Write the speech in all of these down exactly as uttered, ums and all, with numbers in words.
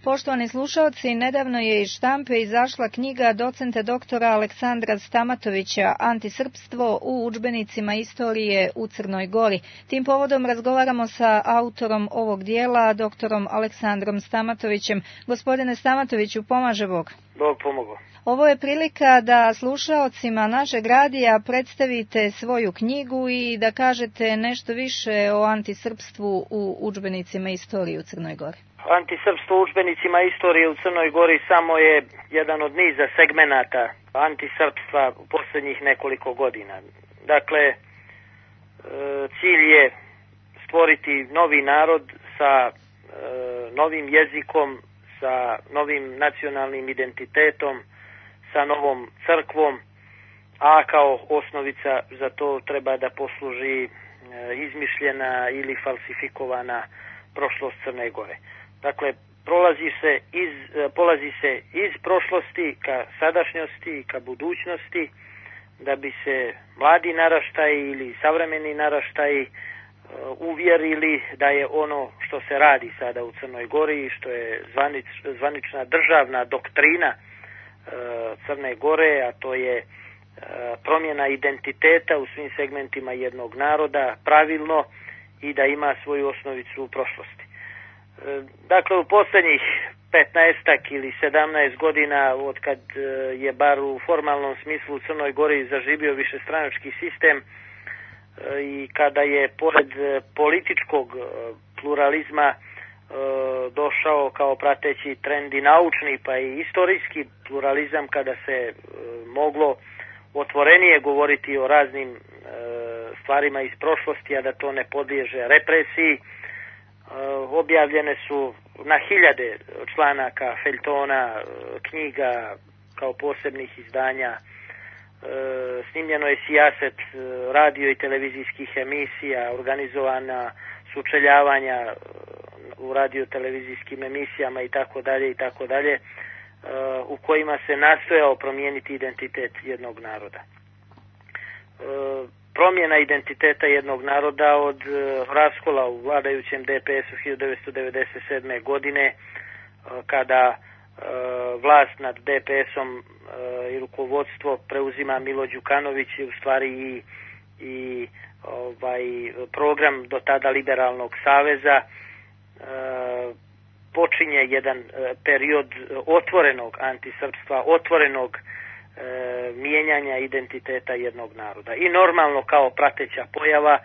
Poštovani slušalci, nedavno je iz štampe izašla knjiga docenta doktora Aleksandra Stamatovića Antisrpstvo u udžbenicima istorije u Crnoj Gori. Tim povodom razgovaramo sa autorom ovog dijela, doktorom Aleksandrom Stamatovićem. Gospodine Stamatoviću, pomaže Bog. Bog pomogao. Ovo je prilika da slušaocima našeg radija predstavite svoju knjigu i da kažete nešto više o antisrpstvu u udžbenicima istorije u Crnoj Gori. Antisrpstvo u udžbenicima istorije u Crnoj Gori samo je jedan od niza segmenata antisrpstva u posljednjih nekoliko godina. Dakle, cilj je stvoriti novi narod sa novim jezikom, sa novim nacionalnim identitetom, sa novom crkvom, a kao osnovica za to treba da posluži izmišljena ili falsifikovana prošlost Crne Gore. Dakle, prolazi se iz, polazi se iz prošlosti ka sadašnjosti, ka budućnosti, da bi se mladi naraštaji ili savremeni naraštaji uvjerili da je ono što se radi sada u Crnoj Gori, što je zvanič, zvanična državna doktrina Crne Gore, a to je promjena identiteta u svim segmentima jednog naroda pravilno i da ima svoju osnovicu u prošlosti. Dakle, u posljednjih petnaestak ili sedamnaest godina, od kad je bar u formalnom smislu u Crnoj Gori zaživio višestranački sistem i kada je pored političkog pluralizma došao kao prateći trend i naučni pa i istorijski pluralizam, kada se moglo otvorenije govoriti o raznim stvarima iz prošlosti, a da to ne podliježe represiji, objavljene su na hiljade članaka, feljtona, knjiga kao posebnih izdanja, snimljeno je sijaset radio i televizijskih emisija, organizovana sučeljavanja u radio-televizijskim emisijama i tako dalje i tako dalje, u kojima se nastojao promijeniti identitet jednog naroda. Promjena identiteta jednog naroda od raskola u vladajućem D P S-u hiljadu devetsto devedeset sedme. godine, kada vlast nad D P S-om i rukovodstvo preuzima Milo Đukanović, u stvari i, i ovaj program do tada Liberalnog saveza, počinje jedan period otvorenog antisrpstva, otvorenog E, mijenjanja identiteta jednog naroda. I normalno kao prateća pojava, e,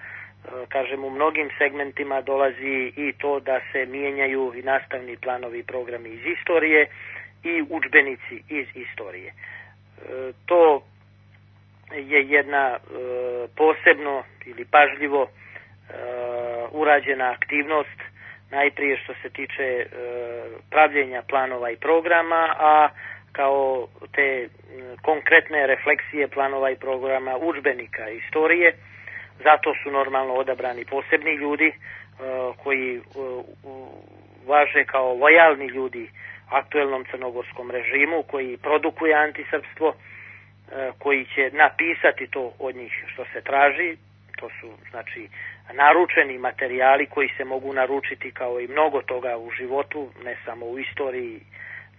kažem, u mnogim segmentima dolazi i to da se mijenjaju i nastavni planovi i programi iz istorije i udžbenici iz istorije. E, to je jedna e, posebno ili pažljivo e, urađena aktivnost, najprije što se tiče e, pravljenja planova i programa, a kao te konkretne refleksije planova i programa udžbenika istorije. Zato su normalno odabrani posebni ljudi koji važe kao lojalni ljudi aktuelnom crnogorskom režimu, koji produkuje antisrpstvo, koji će napisati to od njih što se traži. To su, znači, naručeni materijali koji se mogu naručiti kao i mnogo toga u životu, ne samo u istoriji,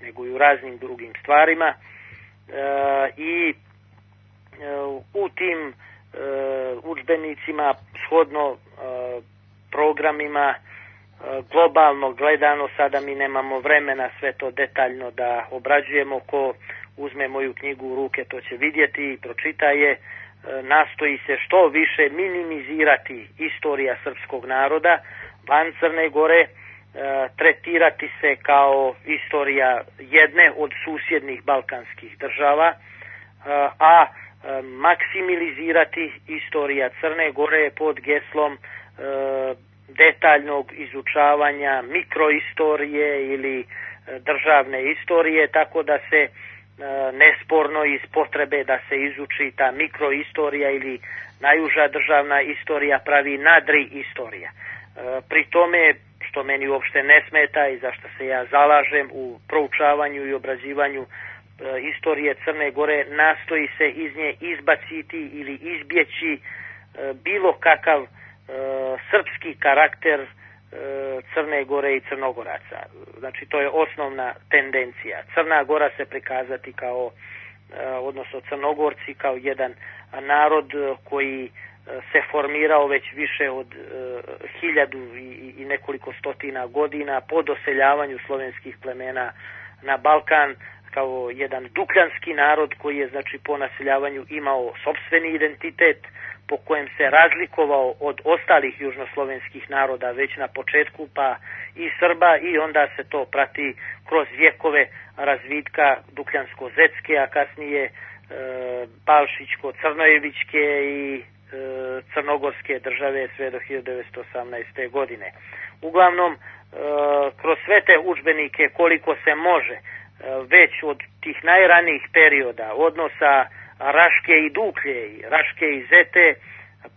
nego i u raznim drugim stvarima. E, I e, u tim e, udžbenicima, shodno e, programima, e, globalno gledano, sada mi nemamo vremena sve to detaljno da obrađujemo. Ko uzme moju knjigu u ruke, to će vidjeti i pročita je. E, nastoji se što više minimizirati istorija srpskog naroda van Crne Gore, tretirati se kao istorija jedne od susjednih balkanskih država, a maksimilizirati istorija Crne Gore pod geslom detaljnog izučavanja mikroistorije ili državne istorije, tako da se nesporno iz potrebe da se izuči ta mikroistorija ili najuža državna istorija pravi nadri istorija. Pri tome, što meni uopšte ne smeta i za što se ja zalažem u proučavanju i obrađivanju e, istorije Crne Gore, nastoji se iz nje izbaciti ili izbjeći e, bilo kakav e, srpski karakter e, Crne Gore i Crnogoraca. Znači to je osnovna tendencija. Crna Gora se prikazati kao, odnosno Crnogorci kao jedan narod koji se formirao već više od hiljadu i, i nekoliko stotina godina po doseljavanju slovenskih plemena na Balkan, kao jedan dukljanski narod koji je znači po naseljavanju imao sopstveni identitet, po kojem se razlikovao od ostalih južnoslovenskih naroda već na početku, pa i Srba, i onda se to prati kroz vjekove razvitka dukljansko-zetske, a kasnije e, Balšićko-Crnojevićke i e, crnogorske države sve do hiljadu devetsto osamnaeste. godine. Uglavnom, e, kroz sve te udžbenike koliko se može, e, već od tih najranijih perioda odnosa Raške i Duklje, Raške i Zete,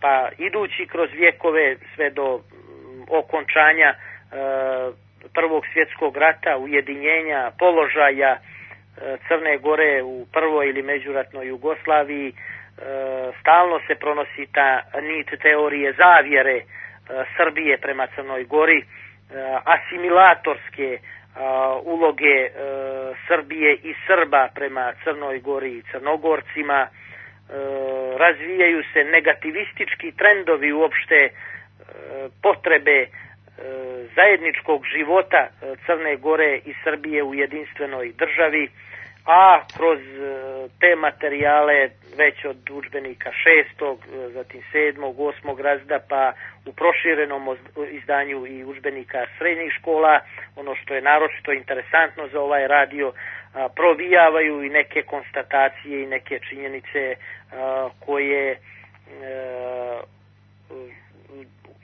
pa idući kroz vjekove sve do okončanja e, Prvog svjetskog rata, ujedinjenja, položaja e, Crne Gore u prvoj ili međuratnoj Jugoslaviji, e, stalno se pronosi ta nit teorije zavjere e, Srbije prema Crnoj Gori, e, asimilatorske a, uloge e, Srbije i Srba prema Crnoj Gori i Crnogorcima, e, razvijaju se negativistički trendovi uopšte e, potrebe e, zajedničkog života Crne Gore i Srbije u jedinstvenoj državi, a kroz te materijale već od udžbenika šestog, zatim sedmog, osmog razreda, pa u proširenom izdanju i udžbenika srednjih škola, ono što je naročito interesantno za ovaj radio, provijavaju i neke konstatacije i neke činjenice koje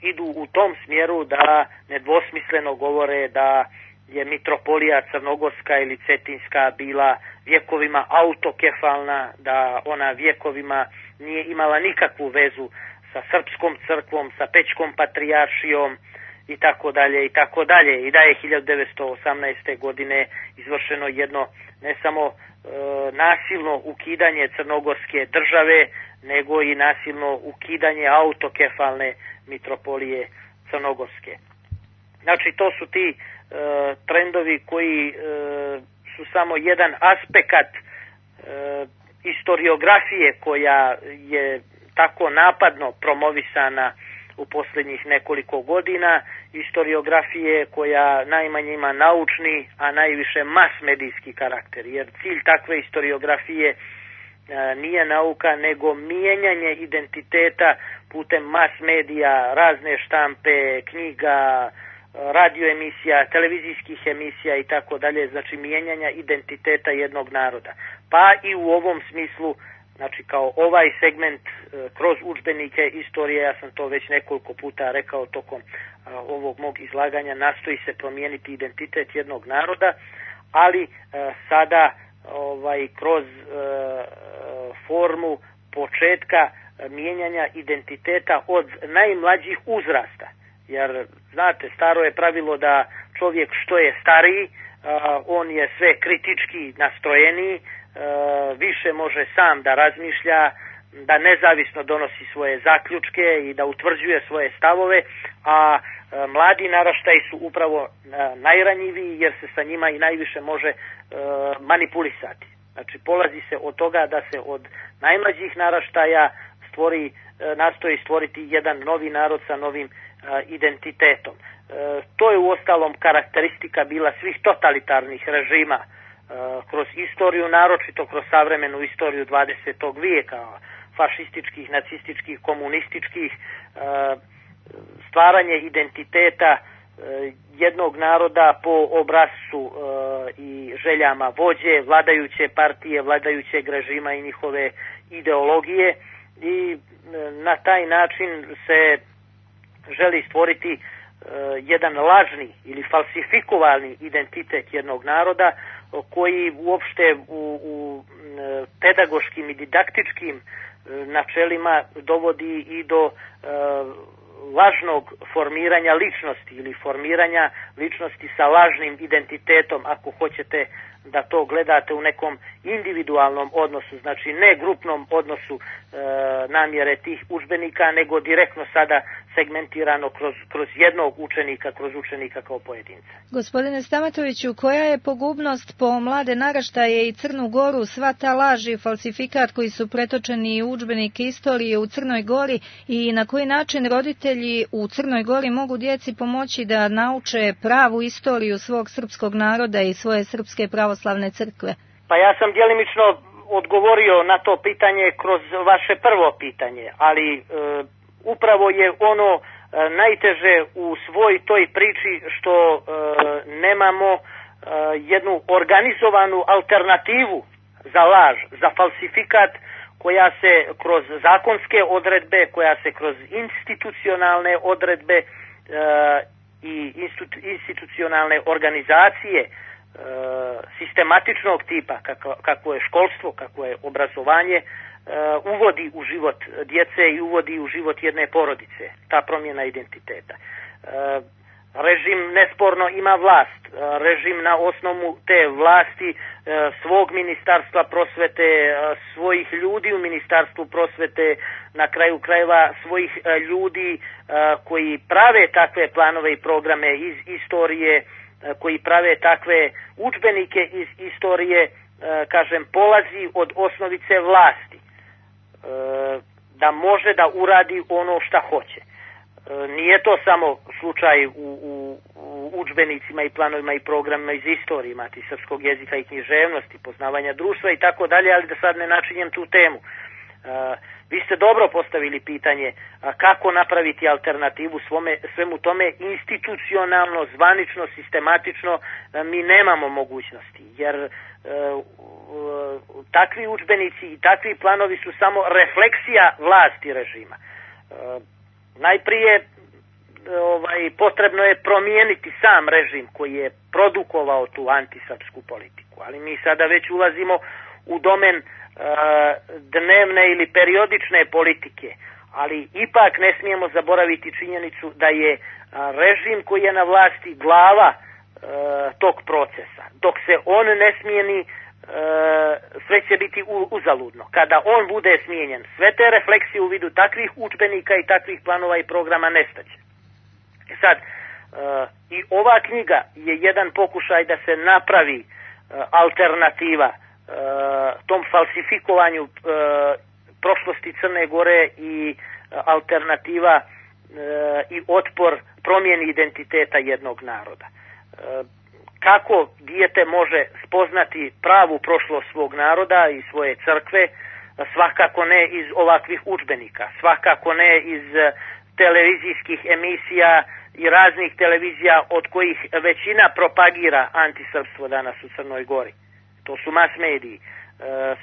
idu u tom smjeru da nedvosmisleno govore da je mitropolija crnogorska ili cetinska bila vjekovima autokefalna, da ona vjekovima nije imala nikakvu vezu sa srpskom crkvom, sa Pećkom patrijaršijom i tako dalje i tako dalje, i da je hiljadu devetsto osamnaeste. godine izvršeno jedno ne samo e, nasilno ukidanje crnogorske države, nego i nasilno ukidanje autokefalne mitropolije crnogorske. Znači to su ti e, trendovi koji e, su samo jedan aspekt e, historiografije koja je tako napadno promovisana u posljednjih nekoliko godina, historiografije koja najmanje ima naučni, a najviše mas medijski karakter, jer cilj takve historiografije e, nije nauka, nego mijenjanje identiteta putem mas medija, razne štampe, knjiga, radio emisija, televizijskih emisija i tako dalje, znači mijenjanja identiteta jednog naroda. Pa i u ovom smislu, znači kao ovaj segment e, kroz udžbenike istorije, ja sam to već nekoliko puta rekao tokom a, ovog mog izlaganja, nastoji se promijeniti identitet jednog naroda, ali e, sada ovaj kroz e, formu početka mijenjanja identiteta od najmlađih uzrasta. Jer, znate, staro je pravilo da čovjek što je stariji, on je sve kritički nastrojeniji, više može sam da razmišlja, da nezavisno donosi svoje zaključke i da utvrđuje svoje stavove, a mladi naraštaji su upravo najranjiviji jer se sa njima i najviše može manipulisati. Znači, polazi se od toga da se od najmlađih naraštaja stvori, nastoji stvoriti jedan novi narod sa novim identitetom. To je uostalom karakteristika bila svih totalitarnih režima kroz istoriju, naročito kroz savremenu istoriju dvadesetog vijeka, fašističkih, nacističkih, komunističkih, stvaranje identiteta jednog naroda po obrascu i željama vođe, vladajuće partije, vladajućeg režima i njihove ideologije, i na taj način se želi stvoriti jedan lažni ili falsifikovani identitet jednog naroda koji uopšte u, u pedagoškim i didaktičkim načelima dovodi i do uh, lažnog formiranja ličnosti ili formiranja ličnosti sa lažnim identitetom, ako hoćete, da to gledate u nekom individualnom odnosu, znači ne grupnom odnosu e, namjere tih udžbenika, nego direktno sada segmentirano kroz, kroz jednog učenika, kroz učenika kao pojedinca. Gospodine Stamatoviću, koja je pogubnost po mlade naraštaje i Crnu Goru, sva ta laž i falsifikat koji su pretočeni u udžbenike istorije u Crnoj Gori i na koji način roditelji u Crnoj Gori mogu djeci pomoći da nauče pravu istoriju svog srpskog naroda i svoje srpske pravoslavne crkve? Pa ja sam djelimično odgovorio na to pitanje kroz vaše prvo pitanje, ali e, upravo je ono e, najteže u svoj toj priči što e, nemamo e, jednu organizovanu alternativu za laž, za falsifikat, koja se kroz zakonske odredbe, koja se kroz institucionalne odredbe e, i institucionalne organizacije e, sistematičnog tipa, kako, kako je školstvo, kako je obrazovanje, e, uvodi u život djece i uvodi u život jedne porodice, ta promjena identiteta. E, režim nesporno ima vlast, režim na osnovu te vlasti e, svog ministarstva prosvete, e, svojih ljudi u ministarstvu prosvete, na kraju krajeva svojih e, ljudi e, koji prave takve planove i programe iz istorije, e, koji prave takve udžbenike iz istorije, e, kažem, polazi od osnovice vlasti, e, da može da uradi ono šta hoće. Nije to samo slučaj u, u, u udžbenicima i planovima i programima iz istorije, imati srpskog jezika i književnosti, poznavanja društva i tako dalje, ali da sad ne načinjem tu temu. Uh, vi ste dobro postavili pitanje uh, kako napraviti alternativu svome, svemu tome institucionalno, zvanično, sistematično, uh, mi nemamo mogućnosti, jer uh, uh, takvi udžbenici i takvi planovi su samo refleksija vlasti režima. Uh, Najprije ovaj, potrebno je promijeniti sam režim koji je produkovao tu antisrpsku politiku, ali mi sada već ulazimo u domen uh, dnevne ili periodične politike, ali ipak ne smijemo zaboraviti činjenicu da je uh, režim koji je na vlasti glava uh, tog procesa. Dok se on ne smijeni, sve će biti uzaludno. Kada on bude smijenjen, sve te refleksije u vidu takvih udžbenika i takvih planova i programa nestaće. Sad, i ova knjiga je jedan pokušaj da se napravi alternativa tom falsifikovanju prošlosti Crne Gore i alternativa i otpor promjeni identiteta jednog naroda. Kako dijete može spoznati pravu prošlost svog naroda i svoje crkve, svakako ne iz ovakvih udžbenika, svakako ne iz televizijskih emisija i raznih televizija od kojih većina propagira antisrpstvo danas u Crnoj Gori. To su mas mediji.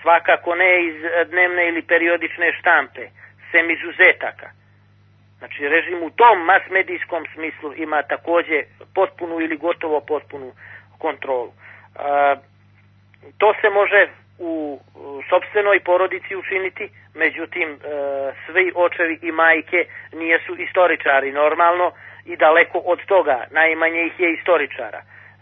Svakako ne iz dnevne ili periodične štampe, sem izuzetaka. Znači, režim u tom masmedijskom smislu ima također potpunu ili gotovo potpunu kontrolu. E, to se može u sopstvenoj porodici učiniti, međutim, e, svi očevi i majke nijesu istoričari normalno i daleko od toga, najmanje ih je istoričara.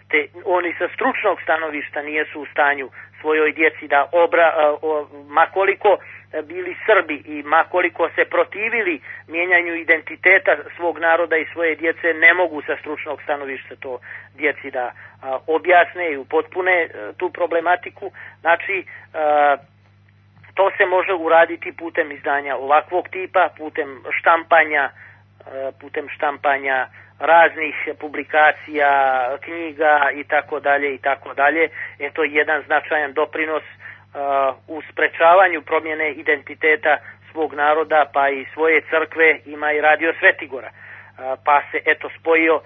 Te oni sa stručnog stanovišta nijesu u stanju svojoj djeci da obra, o, makoliko bili Srbi i makoliko se protivili mijenjanju identiteta svog naroda i svoje djece, ne mogu sa stručnog stanovišta to djeci da a, objasne i upotpune a, tu problematiku. Znači, a, to se može uraditi putem izdanja ovakvog tipa, putem štampanja, a, putem štampanja raznih publikacija, knjiga i tako dalje i tako dalje. Je to jedan značajan doprinos uh, u sprečavanju promjene identiteta svog naroda, pa i svoje crkve. Ima i Radio Svetigora. Uh, pa se eto spojio uh,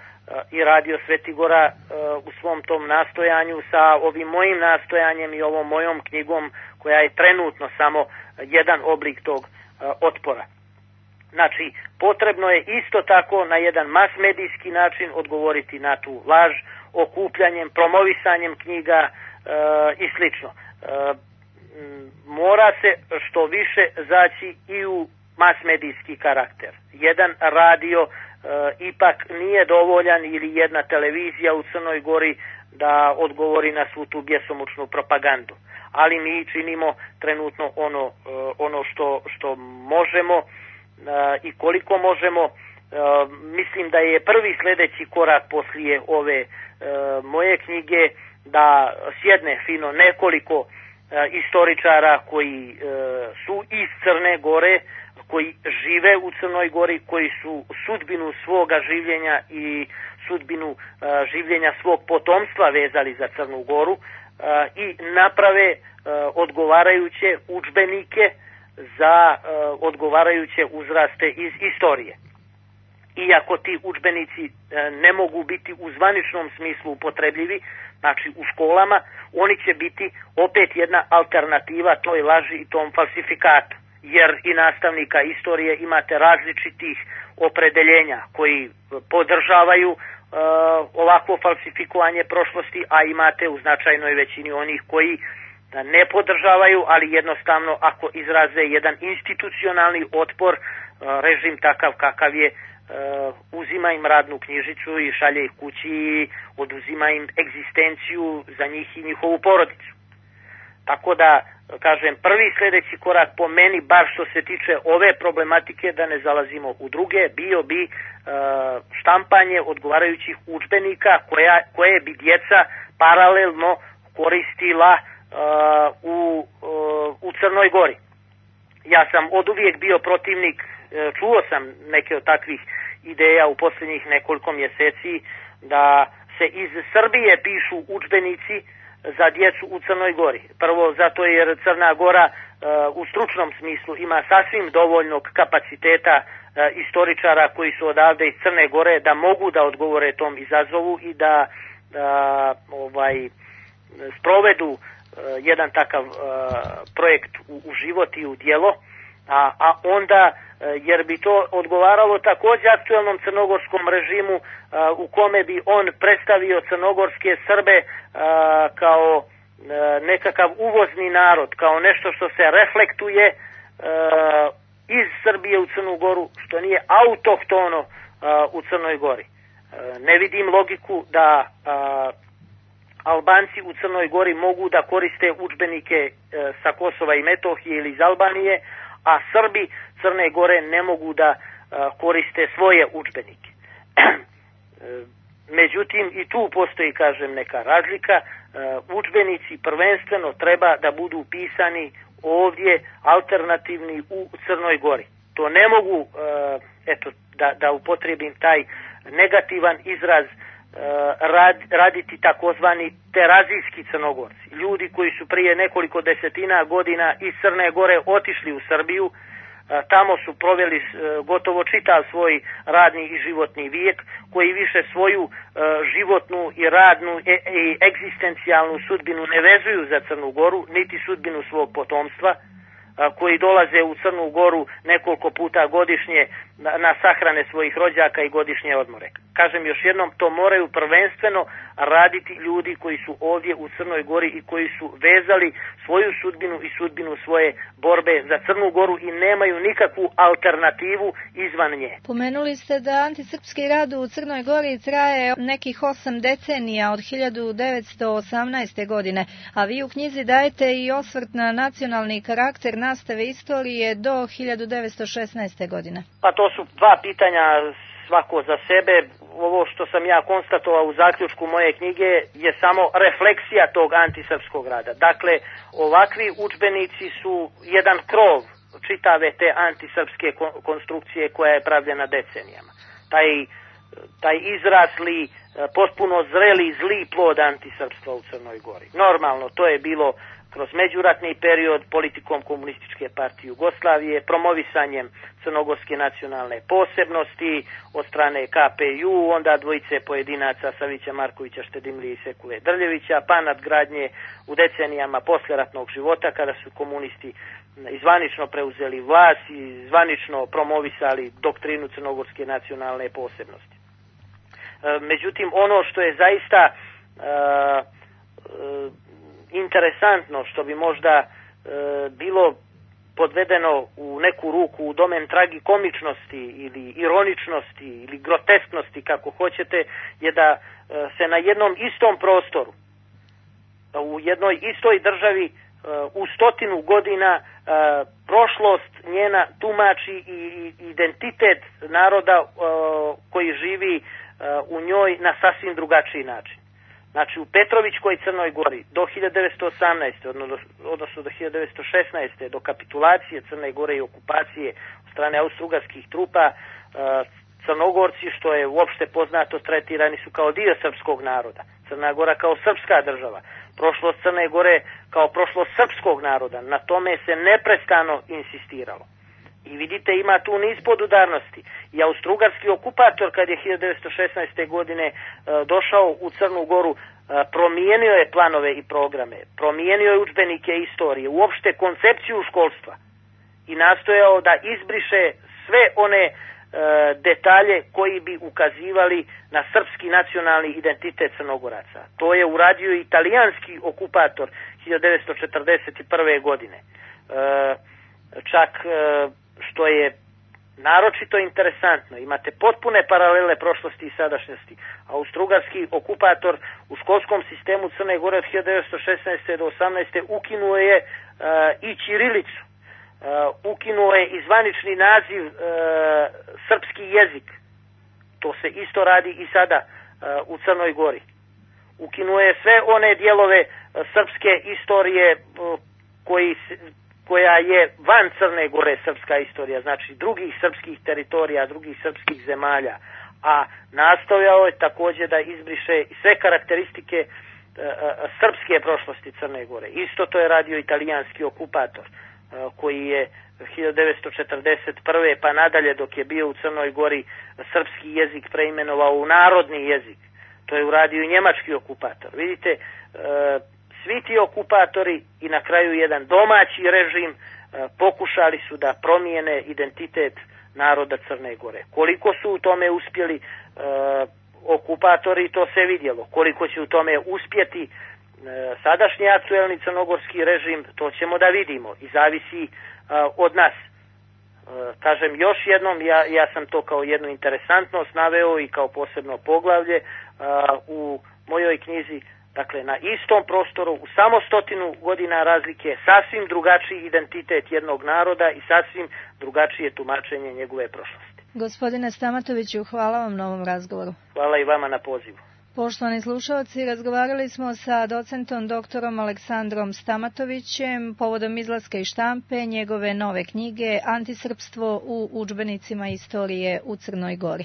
i Radio Svetigora uh, u svom tom nastojanju sa ovim mojim nastojanjem i ovom mojom knjigom, koja je trenutno samo jedan oblik tog uh, otpora. Znači, potrebno je isto tako na jedan masmedijski način odgovoriti na tu laž, okupljanjem, promovisanjem knjiga e, i slično. E, mora se što više zaći i u masmedijski karakter. Jedan radio e, ipak nije dovoljan ili jedna televizija u Crnoj Gori da odgovori na svu tu bjesomučnu propagandu. Ali mi činimo trenutno ono, ono što, što možemo i koliko možemo. Mislim da je prvi sljedeći korak poslije ove moje knjige da sjedne fino nekoliko istoričara koji su iz Crne Gore, koji žive u Crnoj Gori, koji su sudbinu svoga življenja i sudbinu življenja svog potomstva vezali za Crnu Goru i naprave odgovarajuće udžbenike za odgovarajuće uzraste iz istorije. Iako ti udžbenici ne mogu biti u zvaničnom smislu upotrebljivi, znači u školama, oni će biti opet jedna alternativa toj laži i tom falsifikatu. Jer i nastavnika istorije imate različitih opredeljenja koji podržavaju uh, ovakvo falsifikovanje prošlosti, a imate u značajnoj većini onih koji ne podržavaju, ali jednostavno ako izraze jedan institucionalni otpor, uh, režim takav kakav je, uh, uzima im radnu knjižicu i šalje ih kući i oduzima im egzistenciju za njih i njihovu porodicu. Tako da, kažem, prvi sljedeći korak po meni, bar što se tiče ove problematike, da ne zalazimo u druge, bio bi e, štampanje odgovarajućih udžbenika koja, koje bi djeca paralelno koristila e, u, e, u Crnoj Gori. Ja sam oduvijek bio protivnik, e, čuo sam neke od takvih ideja u posljednjih nekoliko mjeseci, da se iz Srbije pišu udžbenici za djecu u Crnoj Gori. Prvo zato jer Crna Gora uh, u stručnom smislu ima sasvim dovoljnog kapaciteta uh, istoričara koji su odavde iz Crne Gore da mogu da odgovore tom izazovu i da uh, ovaj sprovedu uh, jedan takav uh, projekt u, u život i u djelo, a, a onda uh, jer bi to odgovaralo također aktuelnom crnogorskom režimu uh, u kome bi on predstavio crnogorske Srbe Uh, kao uh, nekakav uvozni narod, kao nešto što se reflektuje uh, iz Srbije u Crnu Goru, što nije autohtono uh, u Crnoj Gori. Uh, ne vidim logiku da uh, Albanci u Crnoj Gori mogu da koriste udžbenike uh, sa Kosova i Metohije ili iz Albanije, a Srbi Crne Gore ne mogu da uh, koriste svoje udžbenike. uh, Međutim, i tu postoji, kažem, neka razlika. Uh, udžbenici prvenstveno treba da budu pisani ovdje alternativni u Crnoj Gori. To ne mogu, uh, eto, da, da upotrijebim taj negativan izraz, uh, rad, raditi takozvani terazijski Crnogorci. Ljudi koji su prije nekoliko desetina godina iz Crne Gore otišli u Srbiju, tamo su proveli gotovo čitav svoj radni i životni vijek, koji više svoju životnu i radnu i egzistencijalnu sudbinu ne vezuju za Crnu Goru, niti sudbinu svog potomstva, koji dolaze u Crnu Goru nekoliko puta godišnje na, na sahrane svojih rođaka i godišnje odmore. Kažem još jednom, to moraju prvenstveno raditi ljudi koji su ovdje u Crnoj Gori i koji su vezali svoju sudbinu i sudbinu svoje borbe za Crnu Goru i nemaju nikakvu alternativu izvan nje. Pomenuli ste da antisrpski rad u Crnoj Gori traje nekih osam decenija od hiljadu devetsto osamnaeste. godine, a vi u knjizi dajete i osvrt na nacionalni karakter nastave istorije do hiljadu devetsto šesnaeste. godine. Pa to su dva pitanja svako za sebe. Ovo što sam ja konstatovao u zaključku moje knjige je samo refleksija tog antisrpskog rada. Dakle, ovakvi udžbenici su jedan krov čitave te antisrpske konstrukcije koja je pravljena decenijama. Taj, taj izrasli, potpuno zreli, zli plod antisrpstva u Crnoj Gori. Normalno, to je bilo kroz međuratni period politikom Komunističke partije Jugoslavije, promovisanjem crnogorske nacionalne posebnosti od strane K P U, onda dvojice pojedinaca Savića Markovića Štedimlije i Sekule Drljevića, pa nadgradnje u decenijama posleratnog života kada su komunisti zvanično preuzeli vlast i zvanično promovisali doktrinu crnogorske nacionalne posebnosti. Međutim, ono što je zaista uh, uh, interesantno, što bi možda e, bilo podvedeno u neku ruku u domen tragikomičnosti ili ironičnosti ili grotesknosti, kako hoćete, je da se na jednom istom prostoru, u jednoj istoj državi u stotinu godina prošlost njena tumači i identitet naroda koji živi u njoj na sasvim drugačiji način. Znači u Petrovićkoj Crnoj Gori do hiljadu devetsto osamnaeste. odnosno do hiljadu devetsto šesnaeste. do kapitulacije Crne Gore i okupacije od strane austrougarskih trupa, Crnogorci, što je uopšte poznato, tretirani su kao dio srpskog naroda. Crna Gora kao srpska država. Prošlost Crne Gore kao prošlost srpskog naroda. Na tome se neprestano insistiralo. I vidite, ima tu niz podudarnosti. I austrougarski okupator, kad je hiljadu devetsto šesnaeste. godine e, došao u Crnu Goru, e, promijenio je planove i programe, promijenio je udžbenike istorije, uopšte koncepciju školstva i nastojao da izbriše sve one e, detalje koji bi ukazivali na srpski nacionalni identitet Crnogoraca. To je uradio italijanski okupator hiljadu devetsto četrdeset prve. godine. E, čak e, što je naročito interesantno, imate potpune paralele prošlosti i sadašnjosti. Austrougarski okupator u školskom sistemu Crne Gore od hiljadu devetsto šesnaeste. do osamnaeste. ukinuo je uh, i ćirilicu, uh, ukinuo je i zvanični naziv uh, srpski jezik. To se isto radi i sada uh, u Crnoj Gori. Ukinuo je sve one dijelove uh, srpske istorije uh, koji se koja je van Crne Gore srpska istorija, znači drugih srpskih teritorija, drugih srpskih zemalja, a nastojao je također da izbriše sve karakteristike e, srpske prošlosti Crne Gore. Isto to je radio italijanski okupator, e, koji je hiljadu devetsto četrdeset prve. pa nadalje, dok je bio u Crnoj Gori, srpski jezik preimenovao u narodni jezik. To je uradio i njemački okupator. Vidite, e, svi ti okupatori i na kraju jedan domaći režim pokušali su da promijene identitet naroda Crne Gore. Koliko su u tome uspjeli okupatori, to se vidjelo. Koliko će u tome uspjeti sadašnji aktuelni crnogorski režim, to ćemo da vidimo i zavisi od nas. Kažem još jednom, ja, ja sam to kao jednu interesantnost naveo i kao posebno poglavlje u mojoj knjizi. Dakle, na istom prostoru, u samo stotinu godina razlike, sasvim drugačiji identitet jednog naroda i sasvim drugačije tumačenje njegove prošlosti. Gospodine Stamatoviću, hvala vam na ovom razgovoru. Hvala i vama na pozivu. Poštovani slušalci, razgovarali smo sa docentom doktorom Aleksandrom Stamatovićem povodom izlaska iz štampe njegove nove knjige Antisrpstvo u udžbenicima istorije u Crnoj Gori.